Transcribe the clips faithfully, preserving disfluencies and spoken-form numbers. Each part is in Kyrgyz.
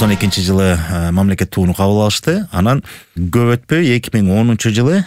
токсон экинчи жылы мамлекет тууну кабыл алышты. Анан көп өтпөй эки миң онунчу жылы,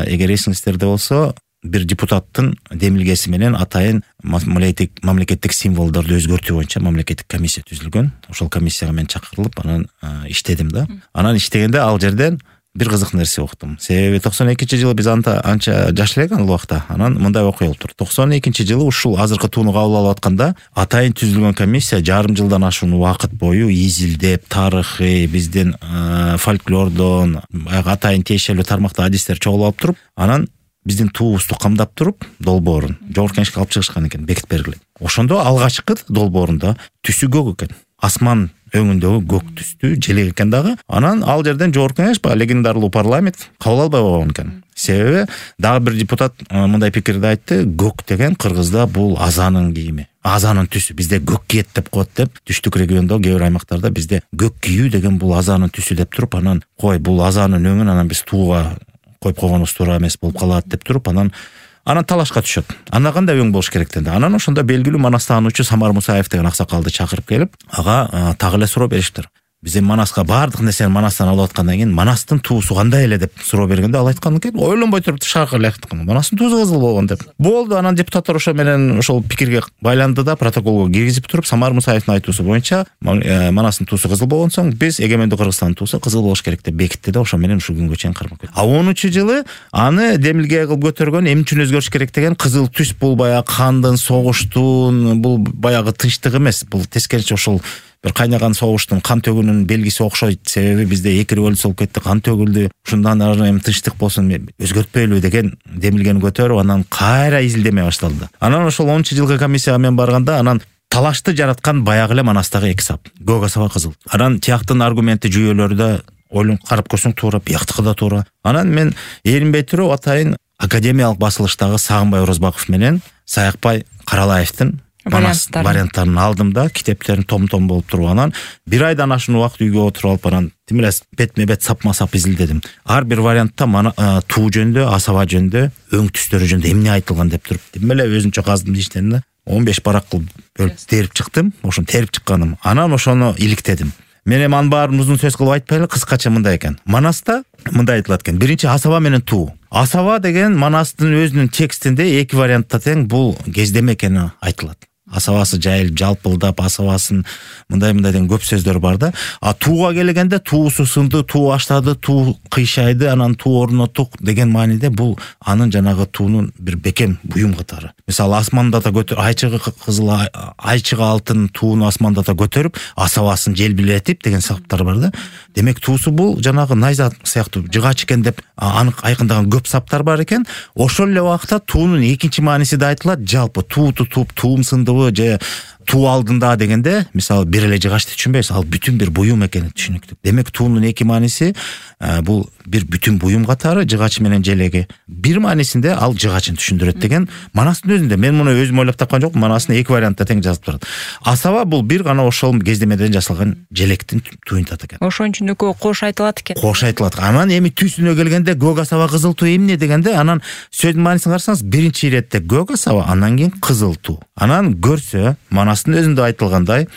эгер эсиңиздерде болсо, бир депутаттын демилгеси менен атайын мамлекеттик символдорду өзгөртүү боюнча мамлекеттик комиссия түзүлгөн. Ошол комиссияга мен чакырылып, анан иштедим да. Анан иштегенде ал жерден бир кызык нерсе уктум. Себеби токсон экинчи жылы биз анта анча жаш элек ал убакта. Анан мындай окуя болуп турду. токсон экинчи жылы ушул азыркы тууну кабыл алып атканда атайын түзүлгөн комиссия жарым жылдан ашуун убакыт бою изилдеп, тарыхый, биздин фольклордон, атайын тиешелүү тармакта адистер чогулуп алып туруп, анан биздин туубузду камдап туруп, долбоорун жогорку кеңешке алып чыгышкан экен, бекитип бергиле. Ошондо алгачкы долбоорунда түсү көк экен. Асман өңүндөгү көк түстүү желек экен дагы. Анан ал жерден жогорку кеңеш, баягы легендарлуу парламент кабыл албай койгон экен. Себеби дагы бир депутат мындай пикирди айтты: көк деген кыргызда бул азанын кийими, азанын түсү. Бизде көк кийет деп коет деп, түштүк региондо кээ бир аймактарда бизде көк кийүү деген бул азанын түсү деп туруп, анан кой бул азанын өңүн анан биз тууга коюп койгонубуз туура эмес болуп калат деп туруп, анан анан талашка түшөт. Анда кандай өң болуш керек денди. Анан ошондо белгилүү Манастаануучу Самар Мусаев деген аксакалды чакырып келип, ага так эле суроо бериштир. Биз эми Манаска баардык нерсени Манастан алып аткандан кийин Манастын туусу кандай эле деп суроо бергенде, ал айткан экен, ойлонбой туруп шакыр эле айткан. Манастын туусу кызыл болгон деп. Болду, анан депутаттар ошо менен ошол пикирге байланды да, протоколго киргизип туруп, Самар Мусаевдин айтуусу боюнча Манастын туусу кызыл болгон соң биз эгемендүү Кыргызстандын туусу кызыл болуш керек деп бекитти да, ошо менен ушул күнгө чейин кармап келди. А онунчу жылы аны демилге кылып көтөргөн, эмне үчүн өзгөрүш керек деген, кызыл түс бул баягы кандын, согуштун, бул баягы тынчтык эмес, бул тескерисинче ошол бир кайнаган согуштун, кан төгүүнүн белгиси окшойт. Себеби бизде эки революция болуп кетти, кан төгүлдү. Ушундан ары эми тынчтык болсун, өзгөртпөйлү деген демилгени көтөрүп, анан кайра изилдеме башталды. Анан ошол онунчу жылкы комиссияга мен барганда, анан талашты жараткан баягы эле Манастагы эки сап, көк асаба кызыл. Анан тияктын аргументи жүйөлөрү да ойлонуп карап көрсөң туура, бияктыкы да туура. Анан мен эринбей туруп атайын академиялык басылыштагы Сагынбай Орозбаков менен Саякбай Каралаевдин Манас варианттарын алдым да, китептерин том-том болуп туруп, анан бир айдан ашуун убакыт үйгө отуруп алып, анан тим эле бетме-бет сапма-сап изилдедим. Ар бир вариантта туу жөнүндө, асаба жөнүндө, өң түстөрү жөнүндө эмне айтылган деп туруп, тим эле өзүнчө каздым дейиштерин да. он беш барак кылып бөлүп терип чыктым. Ошону терип чыкканым. Анан ошону иликтедим. Мен эми анын баарын узун сөз кылып айтпайлы, кыскача мындай экен. Манаста мындай айтылат экен. Биринчи асаба менен туу. Асаба деген Манастын өзүнүн текстинде эки вариантта тең бул кездеме экени айтылат. Асабасы жайылып, жалпылдап, асабасын мындай-мындай деген көп сөздөр бар да. А тууга келгенде туусу сынды, туу аштады, туу кыйшайды, анан туу орнотук деген мааниде бул анын жанагы туунун бир бекем буюм катары. Мисалы, асмандата көтөр, айчыгы кызыл, айчыгы алтын тууну асмандата көтөрүп, асабасын желбилетип деген саптар бар да. Демек туусу бул жанагы найза сыяктуу жыгач экен деп анык айкындаган көп саптар бар экен. Ошол эле убакта туунун экинчи мааниси да айтылат. Жалпы туу тутуп, туум сындыбы же туу алдында дегенде, мисалы, бир эле жыгачты түшүнбөйсүз, ал бүтүн бир буюм экени түшүнүктүү. Демек туунун эки мааниси бул бир бүтүн буюм катары, жыгач менен желеги. Бир маанисинде ал жыгачын түшүндүрөт деген Манастын өзүндө. Мен муну өзүм ойлоп тапкан жокмун, Манастын эки вариантта тең жазып турат. Асаба бул бир гана ошол кездемеден жасалган желектин туюнтат экен. Ошонун үчүн экөө кош айтылат экен. Кош айтылат. Анан эми түсүнө келгенде көк асаба кызыл туу эмне дегенде, анан сөздүн маанисин карасаңыз, биринчи иретте көк асаба, андан кийин кызыл туу. Анан көрсө, Манастын өзүндө айтылгандай,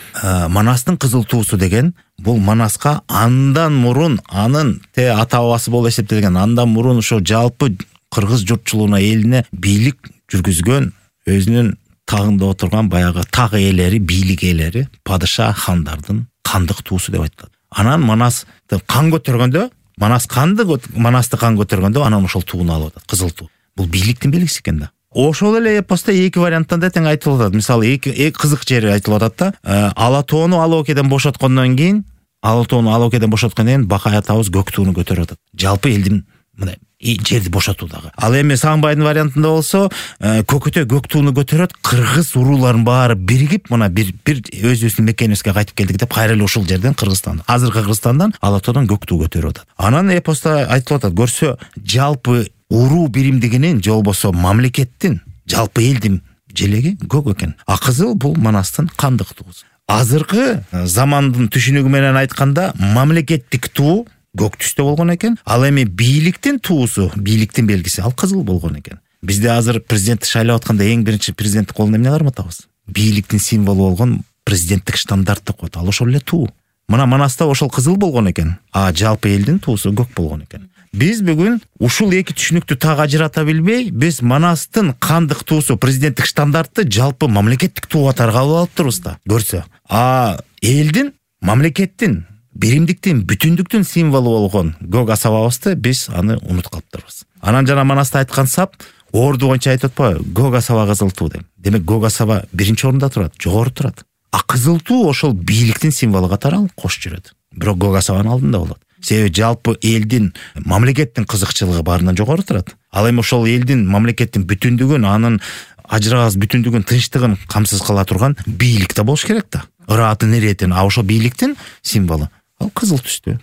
Манастын кызыл туусу деген бул Манаска андан мурун, анын те ата бабасы болуп эсептелген, андан мурун ошо жалпы кыргыз журтчулугуна, элине бийлик жүргүзгөн, өзүнүн тагында отурган баягы так ээлери, бийлик ээлери, падыша, хандардын кандык туусу деп айтылат. Анан Манас кан көтөргөндө, Манас канды, Манасты кан көтөргөндө, анан ошол тууну алып атат, кызыл туу. Бул бийликтин белгиси экен да. Ошол эле эпоста эки варианттан да тең айтылып атат. Мисалы, эки эки кызык жери айтылып атат да. Ала тоону Ала Океден бошоткондон кийин, Ала тоону Ала Океден бошоткондон кийин Бакай атабыз көк тууну көтөрүп атат. Жалпы элдин мындай жерди бошотуудагы. Ал эми Сагынбайдын вариантында болсо, көкөтө көк тууну көтөрөт, кыргыз урууларын баары биригип, мына бир бир өзүбүздүн мекенибизге кайтып келдик деп, кайра эле ушул жерден Кыргызстан, азыркы Кыргызстандан Ала тоодон көк туу көтөрүп атат. Анан эпоста айтылып атат, көрсө, жалпы уруу биримдигинин же болбосо мамлекеттин, жалпы элдин желеги көк экен. А кызыл бул Манастын кандык туусу. Азыркы замандын түшүнүгү менен айтканда, мамлекеттик туу көк түстө болгон экен. Ал эми бийликтин туусу, бийликтин белгиси, ал кызыл болгон экен. Бизде азыр президентти шайлап атканда эң биринчи президенттин колуна эмне карматабыз? Бийликтин символу болгон президенттик штандарт деп коет. Ал ошол эле туу. Мына Манаста ошол кызыл болгон экен, а жалпы элдин туусу көк болгон экен. Биз бүгүн ушул эки түшүнүктү так ажырата билбей, биз Манастын кандык туусу, президенттик стандартты жалпы мамлекеттик туу катары кабыл алып турбуз да. Көрсө, а элдин, мамлекеттин, биримдиктин, бүтүндүктүн символу болгон көк асабабызды биз аны унутуп калыптырбыз. Анан жана Манаста айткан сап орду боюнча айтып атпайбы? Көк асаба, кызыл туу деп. Демек көк асаба биринчи орунда турат, жогору турат. А кызыл туу ошол бийликтин символу катары алып кош жүрөт. Бирок көк асабанын алдында болот. Себеби жалпы элдин, мамлекеттин кызыкчылыгы баарынан жогору турат. Ал эми ошол элдин, мамлекеттин бүтүндүгүн, анын ажырагыс бүтүндүгүн, тынчтыгын камсыз кыла турган бийлик да болуш керек да. Ыраатын, иретин, а ошол бийликтин символу ал кызыл түстүү,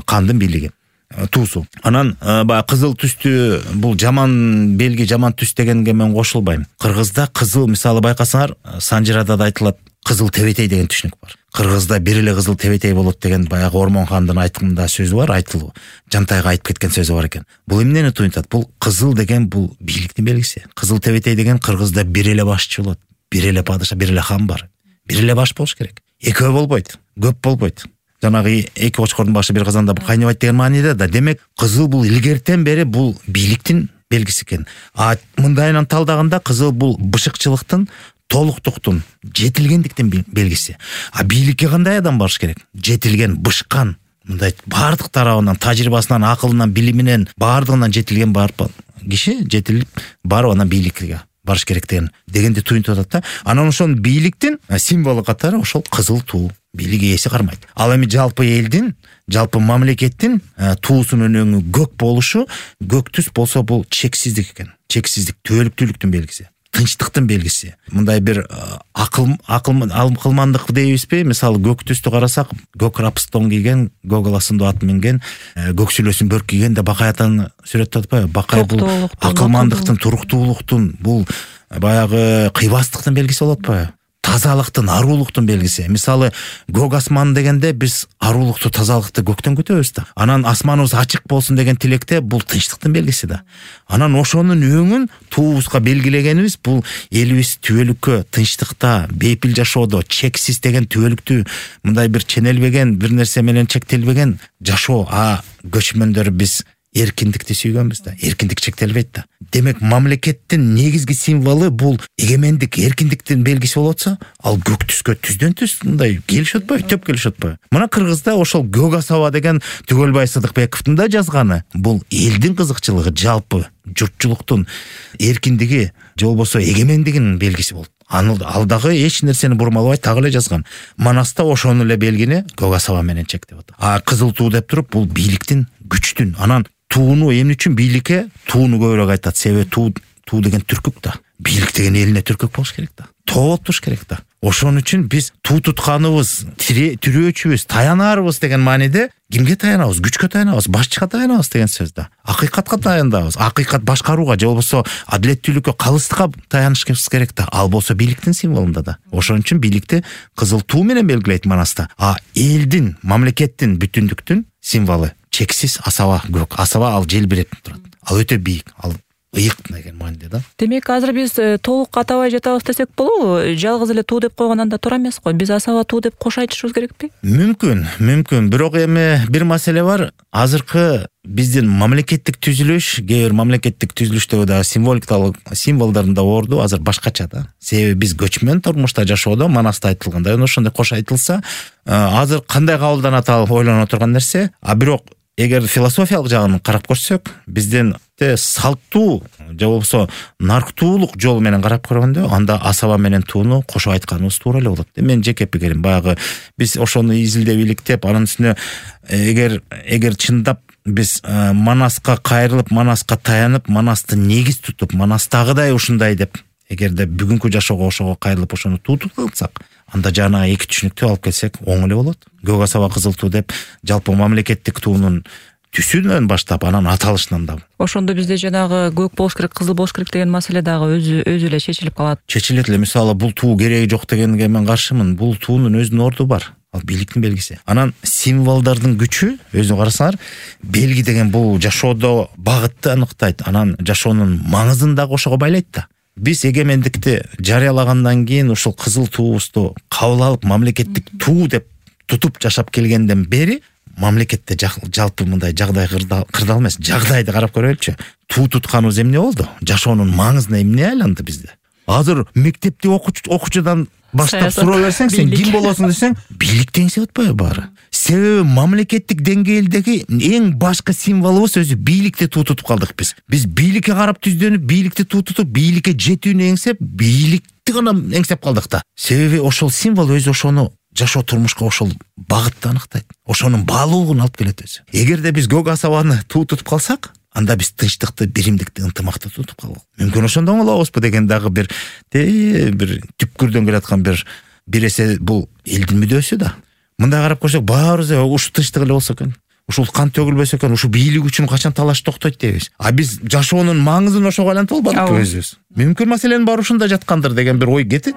кандын бийлиги, туусу. Анан баягы кызыл түстүү бул жаман белги, жаман түс дегенге мен кошулбайм. Кыргызда кызыл, мисалы байкасаңар, Санжирада да айтылат, кызыл тебетей деген түшүнүк бар. Кыргызда бир эле кызыл тебетей болот деген баягы Ормон хандын айткымда сөзү бар, айтылуу. Жантайга айтып кеткен сөзү бар экен. Бул эмнени туюнтат? Бул кызыл деген бул бийликтин белгиси. Кызыл тебетей деген Кыргызда бир эле башчы болот, бир эле падыша, бир эле хан бар. Бир эле баш болуш керек. Экөө болбойт, көп болбойт. Жанагы эки очкордун башы бир казанда кайнабайт деген мааниде да. Демек кызыл бул илгертен бери бул бийликтин белгиси экен. А мындайынан талдаганда кызыл бул бышыкчылыктын, толуктуктун, жетилгендиктин белгиси. А бийликке кандай адам барыш керек? Жетилген, бышкан, мындай баардык тарабынан, тажрыйбасынан, акылынан, билиминен, баардыгынан жетилген бар киши жетилип барып анан бийликке барыш керек деген дегенди туюнтуп атат да. Анан ошонун бийликтин символу катары ошол кызыл туу, бийлик ээси кармайт. Ал эми жалпы элдин, жалпы мамлекеттин туусунун өңү көк болушу, көк түс болсо бул чексиздик экен. Чексиздик, түбөлүктүүлүктүн белгиси, тынчтыктын белгиси. Мындай бир акыл акылмандык дейбизби? Мисалы көк түстү карасак, көк рапстон кийген, көк аласындуу ат минген, көк сүлөсүн бөрк кийген деп Бакай атаны сүрөттөп атпайбы? Бакай бул акылмандыктын, туруктуулуктун, бул баягы кыйбастыктын белгиси болот атпайбы? Тазалыктын, арулуктун белгиси. Мисалы көк асман дегенде биз арулукту, тазалыкты көктөн күтөбүз да. Анан асманыбыз ачык болсун деген тилекте бул тынчтыктын белгиси да. Анан ошонун өңүн туубузга белгилегенибиз бул элибиз түбөлүккө, тынчтыкта, бейпил жашоодо, чексиз деген түбөлүктүү, мындай бир ченелбеген, бир нерсе менен чектелбеген жашоо. А көчмөндөр биз эркиндикти сүйгөнбүз да. Эркиндик чектелбейт да. Демек мамлекеттин негизги символу бул эгемендик, эркиндиктин белгиси болуп атса, ал көк түскө түздөн түз мындай келишип атпайбы, төп келишип атпайбы? Мына Кыргызда ошол көк асаба деген Түгөлбай Сыдыкбековдун да жазганы бул элдин кызыкчылыгы, жалпы журтчулуктун эркиндиги, же болбосо эгемендигинин белгиси болот. Ал дагы эч нерсени бурмалабай так эле жазган. Манаста ошону эле белгини көк асаба менен чектеп атат. А кызыл туу деп туруп бул бийликтин, күчтүн. Анан тууну эмне үчүн бийликке тууну көбүрөөк айтат? Себеби туу туу деген түркүк да. Бийлик деген элине түркүк болуш керек да. Тоолоп туруш керек да. Ошон үчүн биз туу тутканыбыз, тирөөчүбүз, таянарыбыз деген мааниде кимге таянабыз? Күчкө таянабыз, башчыга таянабыз деген сөз да. Акыйкатка таянабыз. Акыйкат башкарууга же болбосо адилеттүүлүккө, калыстыкка таянышыбыз керек да. Ал болсо бийликтин символунда да. Ошон үчүн бийликти кызыл туу менен белгилейт Манаста. А элдин, мамлекеттин, бүтүндүктүн символу чексиз асаба көк. Асаба ал желбиреп турат. Ал өтө бийик. Ал ыйык деген мааниде да. Демек азыр биз толук атабай жатабыз десек болобу? Жалгыз эле туу деп койгон анда туура эмес го. Биз асаба туу деп кош айтышыбыз керекпи? Мүмкүн, мүмкүн. Бирок эми бир маселе бар. Азыркы биздин мамлекеттик түзүлүш, кээ бир мамлекеттик түзүлүштөгү да символикалык символдордун да орду азыр башкача да. Себеби биз көчмөн турмушта жашоодо, Манаста айтылгандай, ошондой кош айтылса, азыр кандай кабылданат ал ойлоно турган нерсе. А бирок эгер философиялык жагын карап көрсөк, биздин салттуу же болбосо нарктуулук жол менен карап көргөндө, анда асаба менен тууну кошо айтканыбыз туура эле болот. Менин жеке пикирим, баягы биз ошону изилдеп иликтеп, анын үстүнө эгер эгер чындап биз Манаска кайрылып, Манаска таянып, Манасты негиз тутуп, Манастагыдай ушундай деп, эгерде бүгүнкү жашоого ошого кайрылып ошону туу тутуп алсак, анда жана эки түшүнүктү алып келсек оң эле болот. Көк асаба, кызыл туу деп жалпы мамлекеттик туунун түсүнөн баштап, анан аталышынан да. Ошондо бизде жанагы көк болуш керек, кызыл болуш керек деген маселе дагы өзү өзү эле чечилип калат. Чечилет эле. Мисалы бул туу кереги жок дегенге мен каршымын. Бул туунун өзүнүн орду бар. Ал бийликтин белгиси. Анан символдордун күчү, өзү карасаңар, белги деген бул жашоодо багытты аныктайт. Анан жашоонун маңызын дагы ошого байлайт да. Биз эгемендикти жарыялагандан кийин ушул кызыл туубузду кабыл алып, мамлекеттик туу деп тутуп жашап келгенден бери мамлекетте жалпы мындай жагдай кырдаал эмес, жагдайды карап көрөлүчү. Туу тутканыбыз эмне болду? Жашоонун маңызына эмне айланды бизде? Азыр мектепте окуучудан баштап суроо берсең, сен ким болосуң десең, бийлик деңсе атпайбы баары? Себеби мамлекеттик деңгээлдеги эң башкы символубуз өзү бийликти туу тутуп калдык биз. Биз бийликке карап түздөнүп, бийликти туу тутуп, бийликке жетүүнү эңсеп, бийликти гана эңсеп калдык да. Себеби ошол символ өзү ошону жашоо турмушка ошол багытты аныктайт. Ошонун баалуулугун алып келет өзү. Эгерде биз көк асабаны туу тутуп калсак, анда биз тынчтыкты, биримдикти, ынтымакты тутуп калабыз. Мүмкүн ошондон калабызбы деген дагы бир бир түпкүрдөн келаткан бир бир эсе бул элдин мүдөөсү да. Мындай карап көрсөк, баарыбыз ушу тынчтык эле болсо экен, ушул кан төгүлбөсө экен, ушу бийлик үчүн качан талаш токтойт дейбиз. А биз жашоонун маңызын ошого айлантып албадыкпы өзүбүз? Мүмкүн маселенин баары ушунда жаткандыр деген бир ой кетет.